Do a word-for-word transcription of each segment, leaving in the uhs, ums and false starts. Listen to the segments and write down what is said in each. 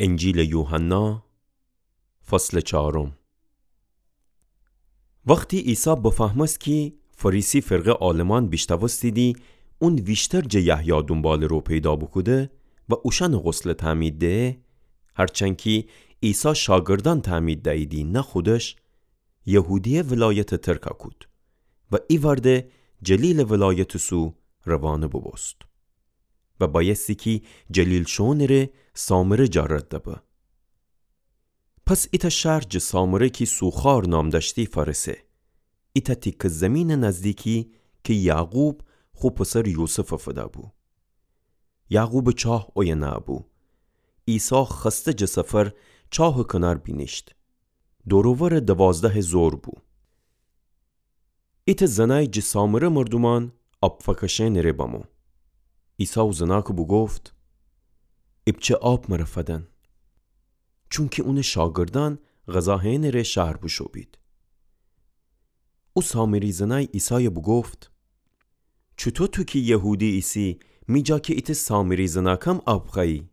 انجیلٚ یوحنا، فصلٚ چارم. وختی عیسی بفهمست کی فریسی فرقه عالمان بیشتوستیدی اون ویشتر جٚه یحیی دونبالٚ رو پیدا بوکوده و اوشأنٚ غسلٚ تعمید دهه، هرچند کی عیسی شاگردأن تعمید دییدی نه خودش، یهودیه ولایتٚ ترکَ کود و ایوأرده جلیلٚ ولایتٚ سو روانه بوبوست. و بأیستی کی جلیل شوئونٚ ره سامره جا رد دبه. پس ایتأ شهر جٚه سامره کی سوخار نام دأشتی فأرسه. ایتأ تیکه زیمینٚ نزدیکی کی یعقوب خو پسر یوسفَ فده‌بو. یعقوبٚ چاه اویه نه‌بو. عیسی خسته جٚه سفر چاهٚ کنار بینیشت. دور و ورٚ دوازدهٚ زور بو. ایتأ زنای جٚه سامره مردومأن آب فأکشئنٚ ره بمو. عیسی او زناکَ بوگفت: ایپچه آب مرَ فدن. چونکی اونٚ شاگردأن غذا هئنٚ ره شهر بوشو بید. او سامری زنای عیسایَ بوگفت: چوطو تو کی یهودی ایسی، می جا کی ایتأ سامری زناکم آب خوأیی؟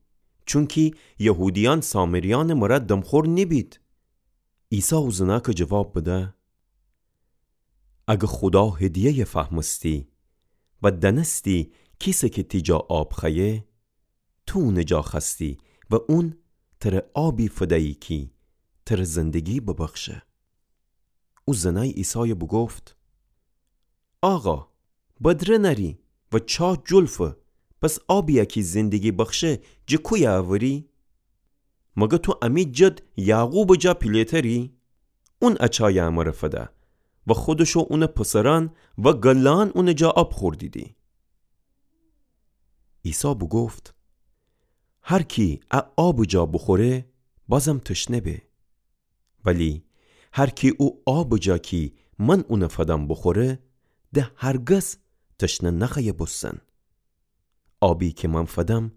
چونکی یهودیأن سامریأنٚ مرا دمخور نیبید. عیسی او زناکَ جواب بده: اگه خودا هدیه‌یَ فهمستی و دأنستی کیسه کی تی جا آب خوأیه، تو اونٚ جا خوأستی و اون تره آبی فدیی کی تره زندگی ببخشه. او زنای عیسایَ بوگفت: آقا، بدره نأری و چاه جلفه، پس آبیَ کی زندگی بخشه جٚه کویه اوری؟ مگر تو امی جد یعقوبٚ جا پیله‌تری؟ اون ا چایَ امرَ فده و خودش و اونٚ پسرأن و گله‌أن اونٚ جا آب خوردیدی. عیسی بوگفت: هر کی ا آبٚ جا بوخوره، بازم تشنه به. ولی هر کی او آبٚ جا کی من اونَ فدم بوخوره، ده هرگز تشنه نخوأیه بوستن. آبی کی من فدم،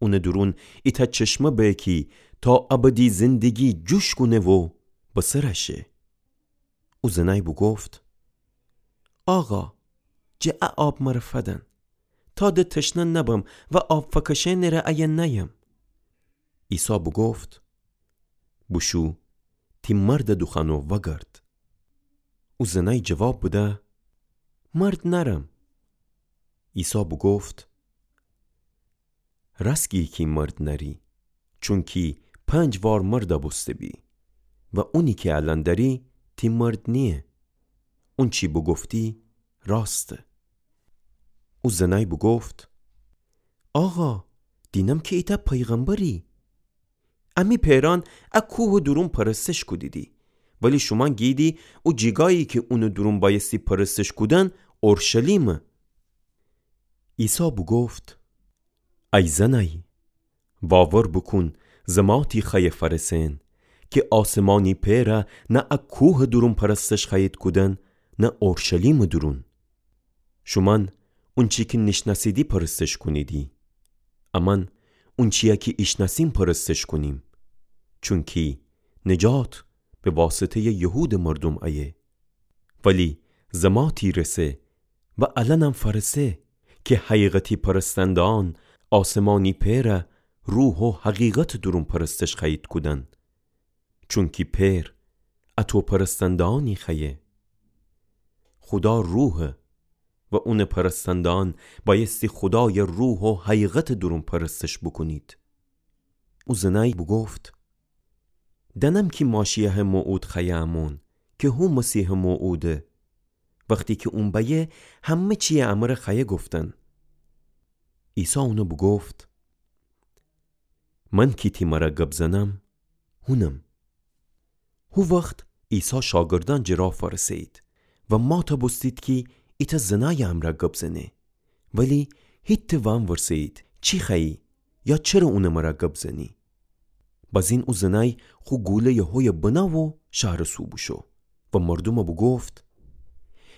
اونٚ دورون ایتأ چشمه به کی تا ابدی زندگی جوش کونه و به سر شه. او زنای بوگفت: آقا، جٚه ا آب مرَ فدن، تا ده تشنه نبم و آب فأکشئنٚ ره ایه نأیم. عیسی بوگفت: بوشو، تی مردَ دوخوأن و وأگرد. او زنای جواب بده: مرد نأرم. عیسی بوگفت: رأست گی کی مرد نأری، چونکی پنج وار مردَ بوسته بی و اونی کی الأن دأری تی مرد نییه. اونچی بوگفتی راسته. او زنای بوگفت: آقا، دینم کی ایتأ پیغمبری. امی پئرأن ا کوهٚ دورون پرستش کودیدی، ولی شومأن گییدی او جیگایی کی اونٚ دورون بأیستی پرستش کودن اورشلیمه. عیسی بوگفت: ای زنای، واور بوکون، زماتی خوأیه فأرسئن کی آسمانی پئرَ نه ا کوهٚ دورون پرستش خوأیید کودن، نه اورشلیمٚ دورون. شومأن اونچی کی نیشنأسیدی پرستش کونیدی، امأن اونچیی کی ایشنأسیم پرستش کونیم، چونکی نجات به واسطه‌یٚ یهودٚ مردوم ایه. ولی زماتی رسه و الأنم فأرسه کی حقیقتی پرستنده‌أن آسمانی پئرَ روح و حقیقتٚ دورون پرستش خوأیید کودن. چونکی پئر اطو پرستنده‌أنی خوأیه. خودا روحه و اونٚ پرستنده‌أن بأیستی خودایَ روح و حقیقتٚ دورون پرستش بوکونید. او زنای بوگفت: دأنم کی ماشیأحٚ موعود خوأیه امون، کی هو مسیحٚ موعوده. وختی کی اون بأیه، همه چیی امرَ خوأیه گفتن. عیسی اونَ بوگفت: من کی تی مرَ گب زنم، هونم. هو وخت عیسی شاگردأن جٚه راه فأرسه‌یید و مات بوستید کی ایتأ زنایٚ امرأ گب زنه. ولی هیتأ وأنورسه‌یید چی خوأیی یا چره اونٚ مرأ گب زنی. بازین او زنأی خو گوله‌یٚ هویه بنه و شهرٚ سو بوشو و مردومأ بوگفت: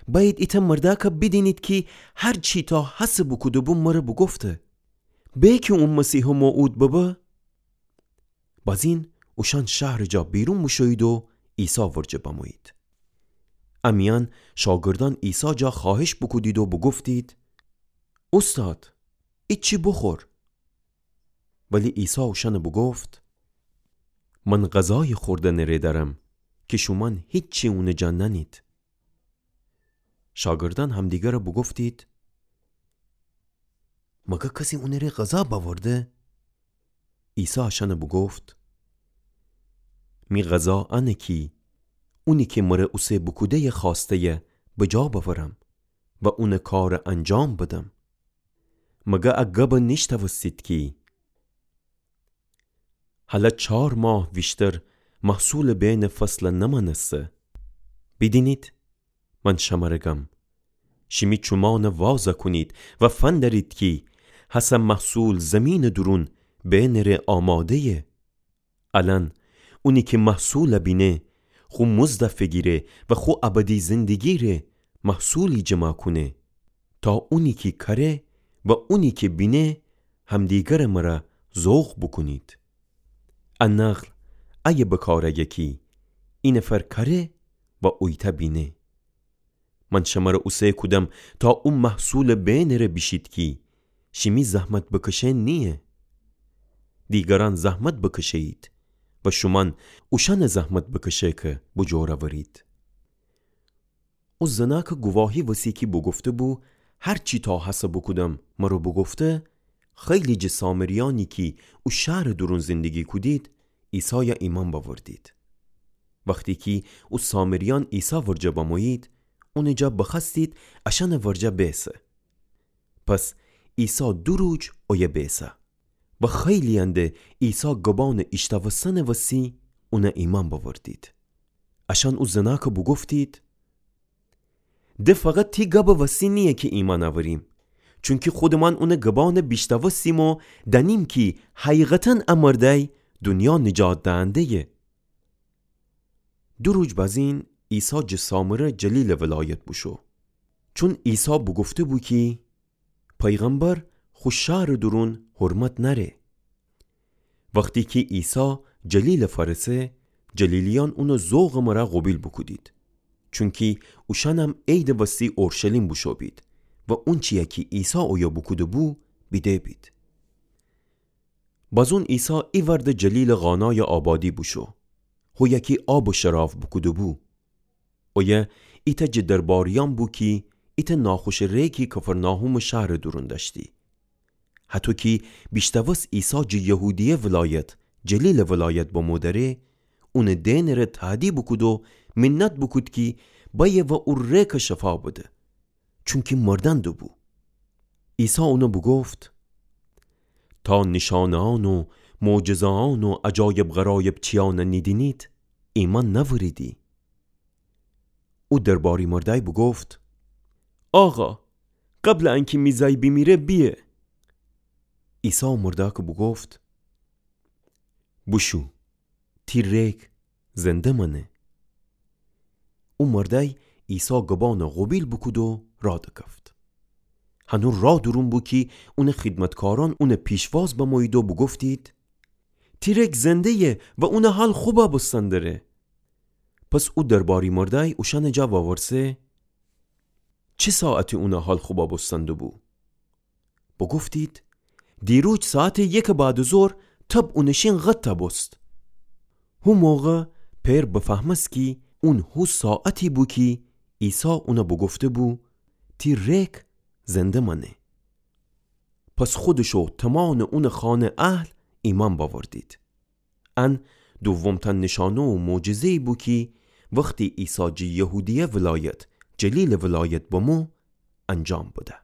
بأیید ایتأ مردأکأ بیدینید کی هر چی تا هسه بوکوده‌بو مرأ بوگفته. به کی اون مسیحٚ موعود ببه؟ بازین اوشأن شهرٚ جا بیرون بوشویید و عیسی ورجه بمویید. امیأن شاگردأن عیسی جا خوأهش بوکودید و بوگفتید: اوستاد، ایچی بوخور. ولی عیسی اوشأنأ بوگفت: من غذایٚ خوردنٚ ره دأرم کی شومأن هیچی اونٚ جا نأنید. شاگردأن همدیگرَ بوگفتید: مگر کسی اونٚ ره غذا بأورده؟ عیسی اشأنَ بوگفت: می غذا انه کی اونی کی مرَ اوسه بوکوده‌یٚ خوأسته‌یَ بجا بأورم و اونٚ کارَ انجام بدم. مگر ا گبَ نیشنوستید کی هلأ چار ماه ویشتر محصولٚ بینٚ فصلَ نمأنسته؟ بیدینید، من شمرَ گم، شیمی چومأنَ وازَ کونید و فندرید کی هسه محصول زیمینٚ دورون بینٚ ره آماده‌یه. الأن اونی کی محصولَ بینه، خو مزدَ فیگیره و خو ابدی زندگی ره محصولی جمع کونه، تا اونی کی کأره و اونی کی بینه همدیگرٚ مرَ ذوق بوکونید. ا نخل ایه بکار آیه کی اینفر کأره و اویتأ بینه. من شمرَ اوسه کودم تا او محصولٚ بینٚ ره بیشید کی شیمی زحمت بکشئن نییه. دیگرأن زحمت بکشه‌یید و شومأن اوشأنٚ زحمت بکشئ کی بوجور اورید. او زنأکٚ گواهی وسی کی بوگفته‌بو: هر چی تا هسه بوکودم مرَ بوگفته، خیلی جٚه سامریأنی کی او شهرٚ دورون زندگی کودید، عیسایَ ایمأن بأوردید. وختی کی او سامریأن عیسی ورجه بمویید، اونٚ جا بخوأستید اشأنٚ ورجه بیسه. پس عیسی دو روج اویه بیسه و خیلی‌یأن د عیسی گبأنٚ ایشتأوستنٚ وسی اونَ ایمأن بأوردید. اشأن او زنأکَ بوگفتید: د فقط تی گبٚ وسی نییه کی ایمأن اوریم، چونکی خودمان اونٚ گبأنَ بیشتأوستیم و دأنیم کی حقیقتاً ا مردأی دونیا نجات دهنده‌یه. دو روج بزین عیسی جٚه سامره جلیلٚ ولایت بوشو، چون عیسی بوگفته‌بو کی پیغمبر خو شهرٚ دورون حرمت نأره. وختی کی عیسی جلیلَ فأرسه، جلیلیأن اونٚ ذوقٚ مرا قوبیل بوکودید، چونکی اوشأنم عیدٚ وستی اورشلیم بوشو بید و اونچی‌یَ کی عیسی اویه بوکوده‌بو بیده بید. بازون عیسی ایوأرد جلیلٚ قانایٚ آبادی بوشو، هویه کی آبٚ شراب بوکوده‌بو. اویه ایتأ جٚه درباریأن بو کی ایتأ ناخوشٚ ریگی کفرناحومٚ شهرٚ دورون دأشتی. هطو کی بیشتأوست عیسی جٚه یهودیه ولایت جلیلٚ ولایت بمو دره، اونٚ دئنٚ ره تهدی بوکود و منت بوکود کی بأیه و او ریگَ شفا بده، چونکی مردن دوبو. عیسی اونَ بوگفت: تا نیشأنه‌یأن و معجزه‌یأن و عجایب غرایب چیأنَ نیدینید، ایمأن نأوریدی. او درباری مردأی بوگفت: آقا، قبلٚ انکی می زأی بیمیره بیه. عیسی او مردأکَ بوگفت: بوشو، تی ریگ زنده مأنه. او مردأی عیسی گبأنَ قوبیل بوکود و راه دکفت. هنو راه دورون بو کی اونٚ خیدمتکارأن اونٚ پیشواز بمویید و بوگفتید: تی ریگ زنده‌یه و اونٚ حال خوبَ بوستن دره. پس او درباری مردأی اوشأنٚ جا وورسه: چی ساعتی اونٚ حال خوبَ بوستن دوبو؟ بوگفتید: دیروج ساعتٚ یکٚ بعدٚ ظهر تب اونٚ شین قطَ بوست. هو موقع پئر بفهمست کی اون هو ساعتی بو کی عیسی اونَ بوگفته‌بو: تی ریگ زنده مأنه. پس خودش و تومانٚ اونٚ خانه اهل ایمأن بأوردید. ان دوم‌تأن نیشأنه و معجزه‌یی بو کی وختی عیسی جٚه یهودیه ولایت جلیلٚ ولایت بمو، انجام بده.